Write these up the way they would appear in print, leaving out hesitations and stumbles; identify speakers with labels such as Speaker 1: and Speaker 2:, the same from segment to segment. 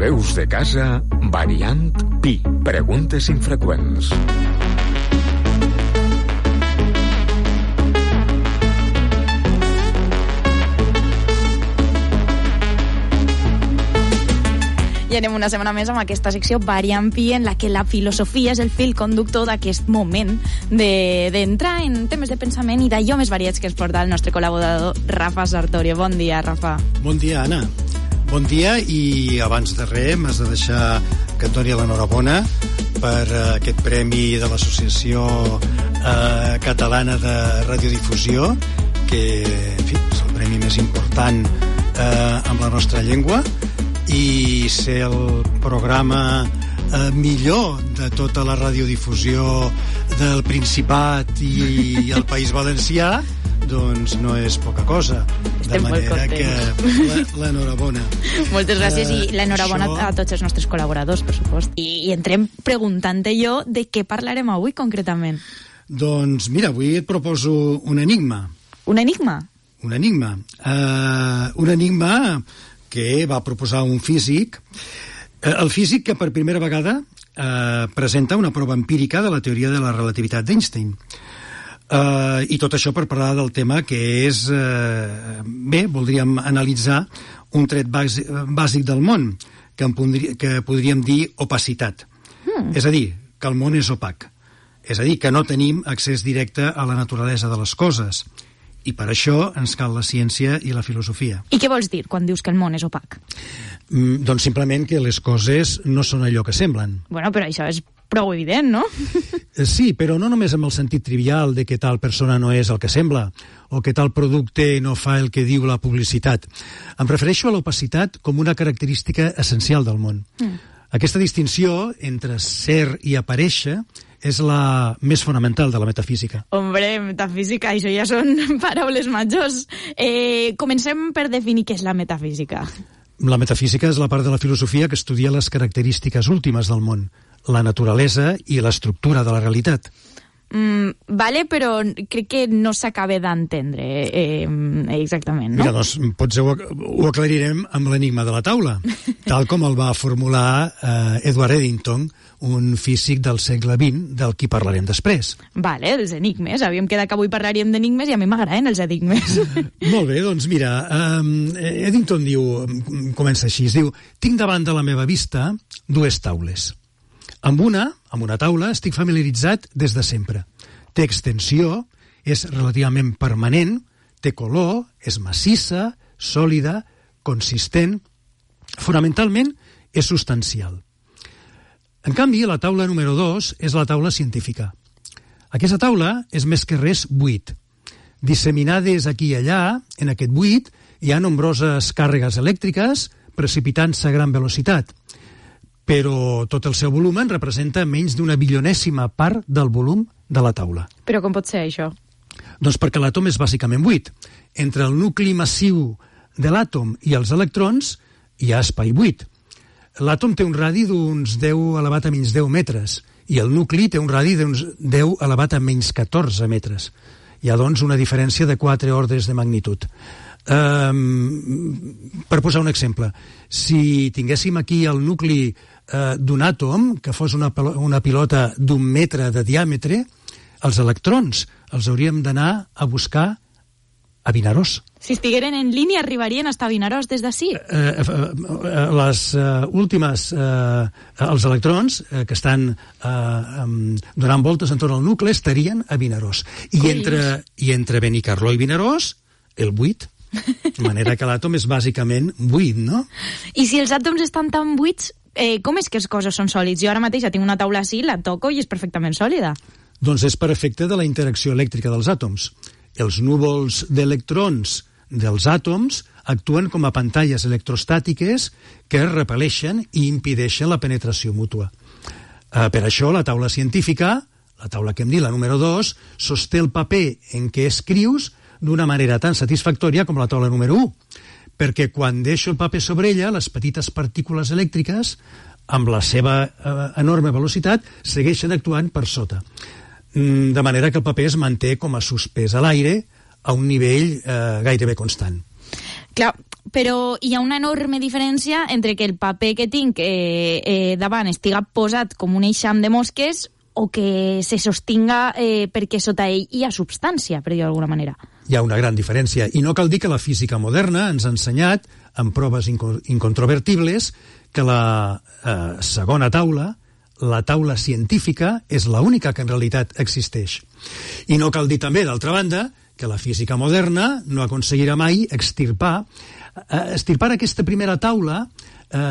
Speaker 1: Veus de casa, variant Pi. Preguntes infreqüents.
Speaker 2: I anem una setmana més amb aquesta secció Variant Pi, en la que la filosofia és el fil conductor d'aquest moment d'entrar en temes de pensament i d'allò més variats que ens porta el nostre col·laborador Rafa Sartorio. Bon dia, Rafa.
Speaker 3: Bon dia, Anna. Bon dia, i abans de res m'has de deixar que et doni l'enhorabona per aquest premi de l'Associació Catalana de Radiodifusió, que, en fi, és el premi més important amb la nostra llengua, i ser el programa millor de tota la radiodifusió del Principat i el País Valencià, doncs no és poca cosa.
Speaker 2: Estem
Speaker 3: de manera que l'enhorabona.
Speaker 2: Moltes gràcies, i l'enhorabona a tots els nostres col·laboradors, per supost. I entrem preguntant-te jo de què parlarem avui concretament.
Speaker 3: Doncs mira, avui et proposo un enigma.
Speaker 2: Un enigma?
Speaker 3: Un enigma. Un enigma que va proposar un físic, el físic que per primera vegada presenta una prova empírica de la teoria de la relativitat d'Einstein. I tot això per parlar del tema que és... bé, voldríem analitzar un tret bàsic del món, que podríem dir opacitat. És a dir, que el món és opac. És a dir, que no tenim accés directe a la naturalesa de les coses. I per això ens cal la ciència i la filosofia.
Speaker 2: I què vols dir quan dius que el món és opac?
Speaker 3: Doncs simplement que les coses no són allò que semblen.
Speaker 2: Bueno, però això és prou evident, no?
Speaker 3: Sí, però no només amb el sentit trivial de que tal persona no és el que sembla, o que tal producte no fa el que diu la publicitat. Em refereixo a l'opacitat com una característica essencial del món. Aquesta distinció entre ser i aparèixer és la més fonamental de la metafísica.
Speaker 2: Hombre, metafísica, això ja són paraules majors. Comencem per definir què és la metafísica.
Speaker 3: La metafísica és la part de la filosofia que estudia les característiques últimes del món, la naturalesa i l'estructura de la realitat.
Speaker 2: Vale, però crec que no s'acaba d'entendre exactament, no?
Speaker 3: Mira, doncs potser ho aclarirem amb l'enigma de la taula, tal com el va formular Edward Eddington, un físic del segle XX, del qui parlarem després.
Speaker 2: Vale, els enigmes. Havíem quedat que avui parlaríem d'enigmes i a mi m'agraden els enigmes.
Speaker 3: Molt bé, doncs mira, Eddington diu, comença així, diu: tinc davant de la meva vista dues taules. Amb una taula estic familiaritzat des de sempre. Té extensió, és relativament permanent, té color, és massissa, sòlida, consistent, fonamentalment és substancial. En canvi, la taula número 2 és la taula científica. Aquesta taula és més que res buit. Disseminades aquí i allà, en aquest buit, hi ha nombroses càrregues elèctriques precipitant-se a gran velocitat, però tot el seu volum representa menys d'una bilionèsima part del volum de la taula.
Speaker 2: Però com pot ser això?
Speaker 3: Doncs perquè l'àtom és bàsicament buit. Entre el nucli massiu de l'àtom i els electrons hi ha espai buit. L'àtom té un radi d'uns 10 elevat a menys 10 metres i el nucli té un radi d'uns 10 elevat a menys 14 metres. Hi ha, doncs, una diferència de 4 ordres de magnitud. Per posar un exemple, si tinguéssim aquí el nucli d'un àtom que fos una pilota d'1 metre de diàmetre, els electrons els hauríem d'anar a buscar a Vinaròs.
Speaker 2: Si estigueren en línia arribarien a estar a Vinaròs des d'ací?
Speaker 3: Les últimes, els electrons que estan donant voltes entorn al nucli estarien a Vinaròs. I entre Benicarló i Vinaròs, el buit. De manera que l'àtom és bàsicament buit, no?
Speaker 2: I si els àtoms estan tan buits, com és que les coses són sòlids? Jo ara mateix ja tinc una taula així, la toco i és perfectament sòlida.
Speaker 3: Doncs és per efecte de la interacció elèctrica dels àtoms. Els núvols d'electrons dels àtoms actuen com a pantalles electrostàtiques que repel·leixen i impedeixen la penetració mútua. Per això la taula científica, la taula que hem dit, la número 2, sosté el paper en què escrius d'una manera tan satisfactòria com la taula número 1, perquè quan deixo el paper sobre ella, les petites partícules elèctriques, amb la seva enorme velocitat, segueixen actuant per sota. De manera que el paper es manté com a suspès a l'aire a un nivell gairebé constant.
Speaker 2: Clar, però hi ha una enorme diferència entre que el paper que tinc davant estiga posat com un eixam de mosques o que se sostinga perquè sota ell hi ha substància, per dir-ho d'alguna manera.
Speaker 3: Hi ha una gran diferència, i no cal dir que la física moderna ens ha ensenyat, amb proves incontrovertibles, que la segona taula, la taula científica, és l'única que en realitat existeix. I no cal dir també, d'altra banda, que la física moderna no aconseguirà mai extirpar aquesta primera taula,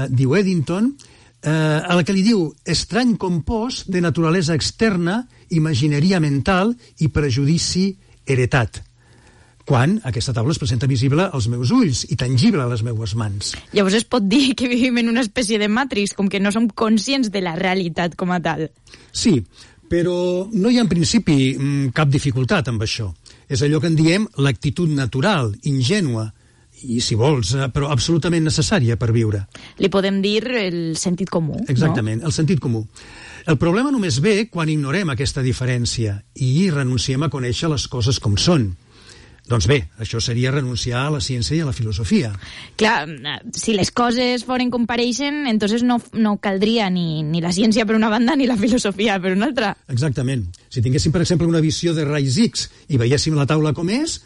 Speaker 3: diu Eddington, a la que li diu estrany compost de naturalesa externa, imagineria mental i prejudici heretat, quan aquesta taula es presenta visible als meus ulls i tangible a les meues mans.
Speaker 2: Llavors es pot dir que vivim en una espècie de Matrix, com que no som conscients de la realitat com a tal.
Speaker 3: Sí, però no hi ha en principi cap dificultat amb això. És allò que en diem l'actitud natural, ingènua, i si vols, però absolutament necessària per viure.
Speaker 2: Li podem dir el sentit comú,
Speaker 3: exactament,
Speaker 2: no?
Speaker 3: El sentit comú. El problema només ve quan ignorem aquesta diferència i renunciem a conèixer les coses com són. Doncs bé, això seria renunciar a la ciència i a la filosofia.
Speaker 2: Clar, si les coses foren com pareixen, entonces no caldria ni la ciència per una banda ni la filosofia per una altra.
Speaker 3: Exactament. Si tinguéssim, per exemple, una visió de raigs X i veiéssim la taula com és,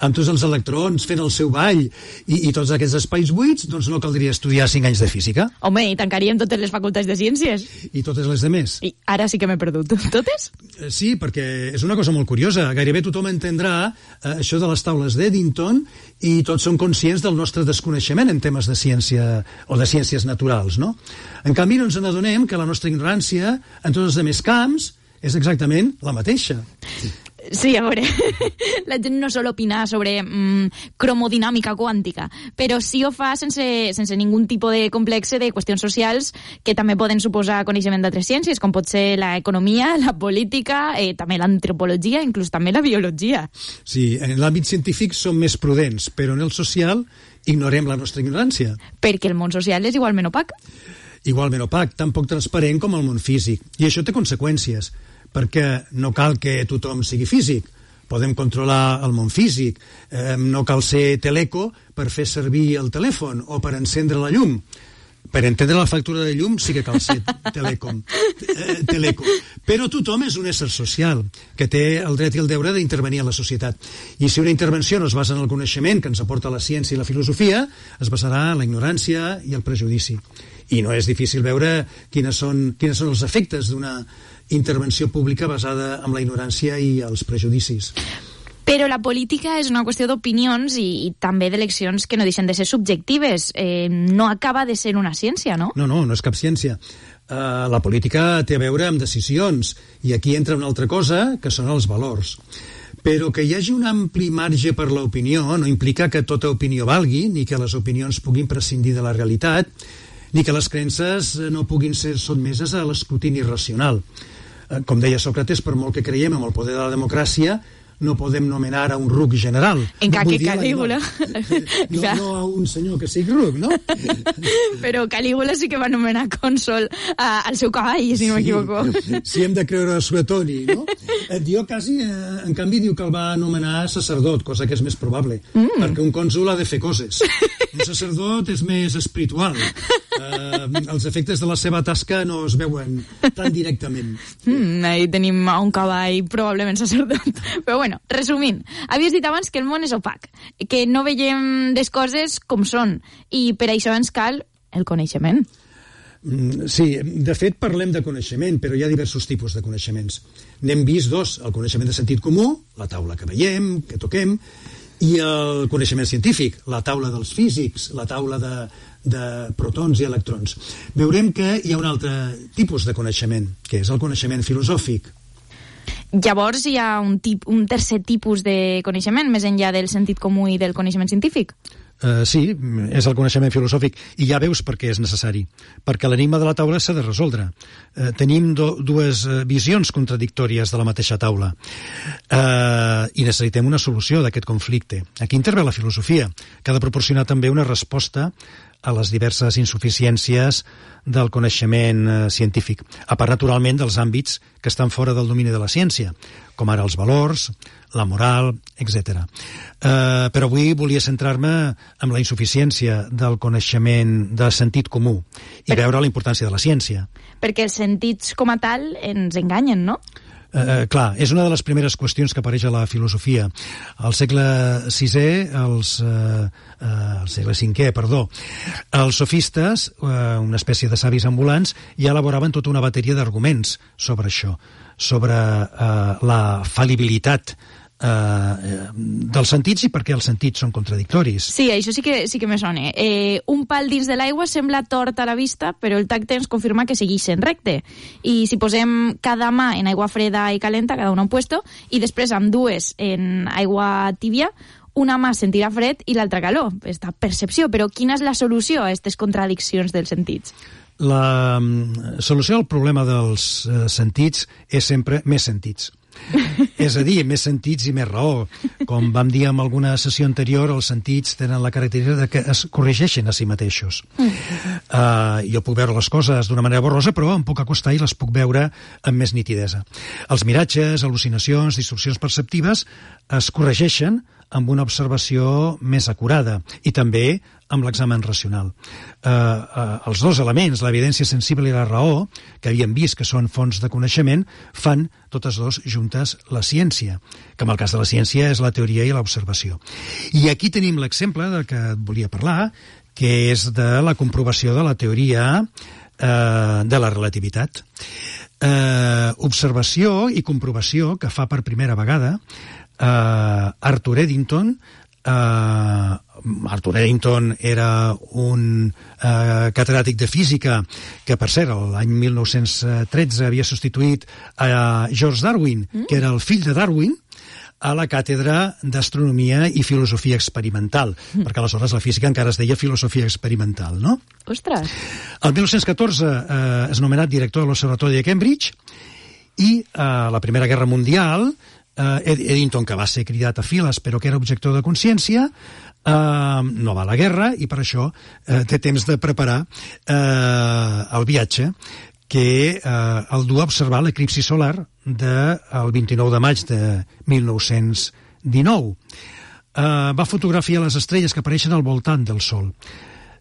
Speaker 3: amb tots els electrons fent el seu ball i tots aquests espais buits, doncs no caldria estudiar 5 anys de física.
Speaker 2: Home, i tancaríem totes les facultats de ciències.
Speaker 3: I totes les demés.
Speaker 2: I ara sí que m'he perdut. Totes?
Speaker 3: Sí, perquè és una cosa molt curiosa. Gairebé tothom entendrà això de les taules d'Eddington i tots són conscients del nostre desconeixement en temes de ciència o de ciències naturals, no? En canvi, no ens n'adonem que la nostra ignorància en tots els altres camps és exactament la mateixa.
Speaker 2: Sí, a veure, la gent no sol opinar sobre cromodinàmica quàntica, però sí ho fa sense ningú tipus de complexe de qüestions socials que també poden suposar coneixement d'altres ciències, com pot ser l'economia, la política, també l'antropologia, inclús també la biologia.
Speaker 3: Sí, en l'àmbit científic som més prudents, però en el social ignorem la nostra ignorància.
Speaker 2: Perquè el món social és igualment opac.
Speaker 3: Igualment opac, tan poc transparent com el món físic. I això té conseqüències, perquè no cal que tothom sigui físic. Podem controlar el món físic. No cal ser teleco per fer servir el telèfon o per encendre la llum. Per entendre la factura de llum sí que cal ser teleco. Però tothom és un ésser social que té el dret i el deure d'intervenir en la societat. I si una intervenció no es basa en el coneixement que ens aporta la ciència i la filosofia, es basarà en la ignorància i el prejudici. I no és difícil veure quines són els efectes d'una intervenció pública basada en la ignorància i els prejudicis.
Speaker 2: Però la política és una qüestió d'opinions i també d'eleccions que no deixen de ser subjectives. No acaba de ser una ciència, no? No
Speaker 3: és cap ciència. La política té a veure amb decisions i aquí entra una altra cosa, que són els valors. Però que hi hagi un ampli marge per l'opinió no implica que tota opinió valgui, ni que les opinions puguin prescindir de la realitat, ni que les creences no puguin ser sotmeses a l'escrutini racional. Com deia Sòcrates, per molt que creiem en el poder de la democràcia, no podem nomenar a un ruc general.
Speaker 2: Encara que Calígula.
Speaker 3: No a un senyor que sigui ruc, no?
Speaker 2: Però Calígula sí que va nomenar cònsol al seu cavall, si no m'equivoco.
Speaker 3: Si hem de creure a Suetoni, no? Dio quasi, en canvi, diu que el va nomenar sacerdot, cosa que és més probable, perquè un cònsol ha de fer coses. Un sacerdot és més espiritual. Els efectes de la seva tasca no es veuen tan directament.
Speaker 2: Ahí tenim un cavall probablement sacerdot. Però bueno, resumint, havies dit abans que el món és opac, que no veiem les coses com són, i per això ens cal el coneixement.
Speaker 3: Sí, de fet parlem de coneixement, però hi ha diversos tipus de coneixements. N'hem vist dos, el coneixement de sentit comú, la taula que veiem, que toquem, i el coneixement científic, la taula dels físics, la taula de protons i electrons. Veurem que hi ha un altre tipus de coneixement, que és el coneixement filosòfic.
Speaker 2: Llavors hi ha un tercer tipus de coneixement, més enllà del sentit comú i del coneixement científic?
Speaker 3: Sí, és el coneixement filosòfic, i ja veus per què és necessari, perquè l'enigma de la taula s'ha de resoldre. Tenim dues visions contradictòries de la mateixa taula i necessitem una solució d'aquest conflicte. Aquí intervé la filosofia, que ha de proporcionar també una resposta a les diverses insuficiències del coneixement científic, a part, naturalment, dels àmbits que estan fora del domini de la ciència, com ara els valors, la moral, etc. Però avui volia centrar-me en la insuficiència del coneixement de sentit comú i veure la importància de la ciència.
Speaker 2: Perquè els sentits com a tal ens enganyen, no?
Speaker 3: Clar, és una de les primeres qüestions que apareix a la filosofia. Al segle VI, al segle V, els sofistes, una espècie de savis ambulants, ja elaboraven tota una bateria d'arguments sobre això, sobre la fal·libilitat dels sentits i per què els sentits són contradictoris.
Speaker 2: Sí, això sí que me sona. Un pal dins de l'aigua sembla tort a la vista, però el tacte ens confirma que segueix sent recte. I si posem cada mà en aigua freda i calenta, cada una un puesto, i després amb dues en aigua tibia, una mà sentirà fred i l'altra calor. Esta percepció. Però quina és la solució a aquestes contradiccions dels sentits?
Speaker 3: La solució al problema dels sentits és sempre més sentits. És a dir, més sentits i més raó. Com vam dir en alguna sessió anterior, els sentits tenen la característica de que es corregeixen a si mateixos. Jo puc veure les coses d'una manera borrosa, però em puc acostar i les puc veure amb més nitidesa. Els miratges, al·lucinacions, distorsions perceptives es corregeixen amb una observació més acurada i també amb l'examen racional. Els dos elements, l'evidència sensible i la raó, que havíem vist que són fonts de coneixement, fan totes dos juntes la ciència, que en el cas de la ciència és la teoria i l'observació. I aquí tenim l'exemple del que et volia parlar, que és de la comprovació de la teoria de la relativitat. Observació i comprovació que fa per primera vegada Arthur Eddington. Arthur Eddington era un catedràtic de física que, per cert, l'any 1913 havia substituït a George Darwin, que era el fill de Darwin, a la càtedra d'Astronomia i Filosofia Experimental, perquè aleshores la física encara es deia Filosofia Experimental, no?
Speaker 2: Ostres!
Speaker 3: El 1914 és nomenat director de l'Observatori de Cambridge i a la Primera Guerra Mundial Eddington, que va ser cridat a files però que era objector de consciència, no va a la guerra i per això té temps de preparar el viatge que el du a observar l'eclipsi solar del 29 de maig de 1919. Va fotografiar les estrelles que apareixen al voltant del Sol.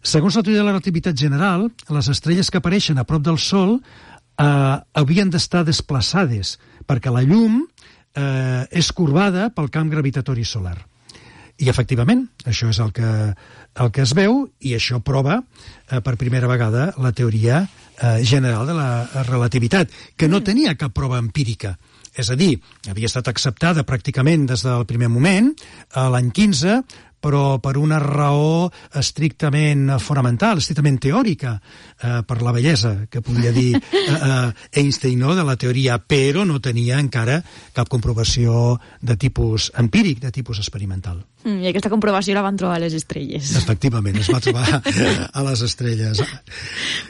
Speaker 3: Segons la teoria de la relativitat general, les estrelles que apareixen a prop del Sol havien d'estar desplaçades perquè la llum és corbada pel camp gravitatori solar. I, efectivament, això és el que es veu i això prova per primera vegada la teoria general de la relativitat, que no tenia cap prova empírica. És a dir, havia estat acceptada pràcticament des del primer moment, l'any 15, però per una raó estrictament fonamental, estrictament teòrica, per la bellesa que podia dir Einstein, no?, de la teoria, però no tenia encara cap comprovació de tipus empíric, de tipus experimental.
Speaker 2: I aquesta comprovació la van trobar a les estrelles.
Speaker 3: Efectivament, es va trobar a les estrelles.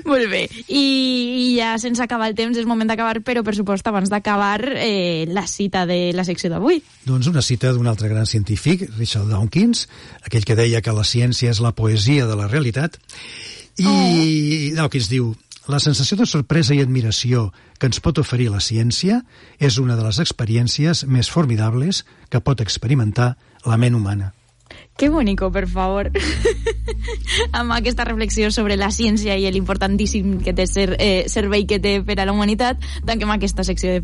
Speaker 2: Molt bé, i ja sense acabar el temps és moment d'acabar, però per supost abans d'acabar la cita de la secció d'avui.
Speaker 3: Doncs una cita d'un altre gran científic, Richard Dawkins, aquell que deia que la ciència és la poesia de la realitat, i Dawkins diu: la sensació de sorpresa i admiració que ens pot oferir la ciència és una de les experiències més formidables que pot experimentar la ment humana.
Speaker 2: Que bonico, per favor. Amb aquesta reflexió sobre la ciència i l'importantíssim que té servei que té per a la humanitat, tanquem aquesta secció de